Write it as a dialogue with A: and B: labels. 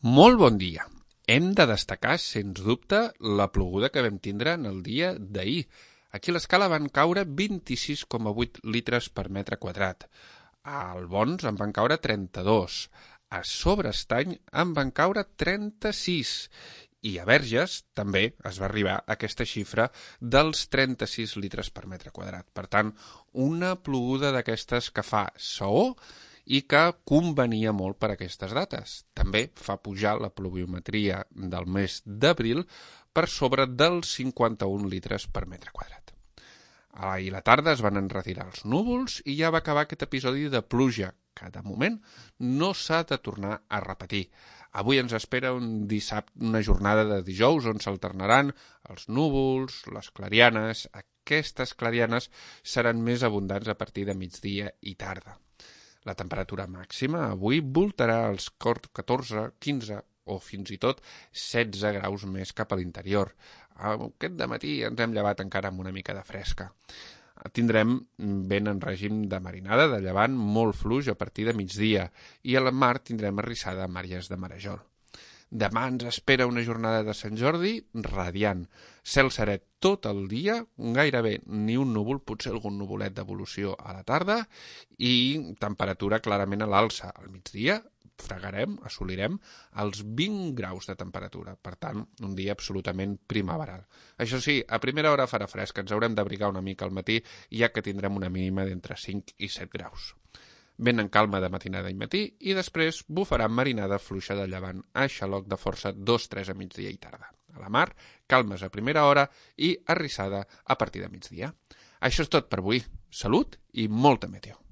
A: Molt bon dia. Hem de destacar, sens dubte, la ploguda que vam tindre en el dia d'ahir. Aquí a l'escala van caure 26,8 litres per metre quadrat. Al Bons en van caure 32. A Sobreestany en van caure 36. I a Verges també es va arribar a aquesta xifra dels 36 litres per metre quadrat. Per tant, una ploguda d'aquestes que fa saó i que convenia molt per a aquestes dates. També fa pujar la pluviometria del mes d'abril per sobre dels 51 litres per metre quadrat. Ahir a la tarda es van enretirar els núvols i ja va acabar aquest episodi de pluja, que de moment no s'ha de tornar a repetir. Avui ens espera una jornada de dijous on s'alternaran els núvols, les clarianes. Aquestes clarianes seran més abundants a partir de migdia i tarda. La temperatura màxima avui voltarà als 14, 15 o fins i tot 16 graus més cap a l'interior. Aquest dematí ens hem llevat encara amb una mica de fresca. Tindrem vent en règim de marinada, de llevant molt fluix a partir de migdia i a la mar tindrem arrissada a àrees de marejol. Demà ens espera una jornada de Sant Jordi radiant. Cel serè tot el dia, gairebé ni un núvol, potser algun nuvolet d'evolució a la tarda i temperatura clarament a l'alça. Al migdia assolirem els 20 graus de temperatura. Per tant, un dia absolutament primaveral. Això sí, a primera hora farà fresc, ens haurem d'abrigar una mica al matí, ja que tindrem una mínima d'entre 5 i 7 graus. Vent en calma de matinada i matí i després bufarà marinada fluixa de llevant a xaloc de força 2-3 a migdia i tarda. A la mar, calmes a primera hora i arrissada a partir de migdia. Això és tot per avui. Salut i molta meteo.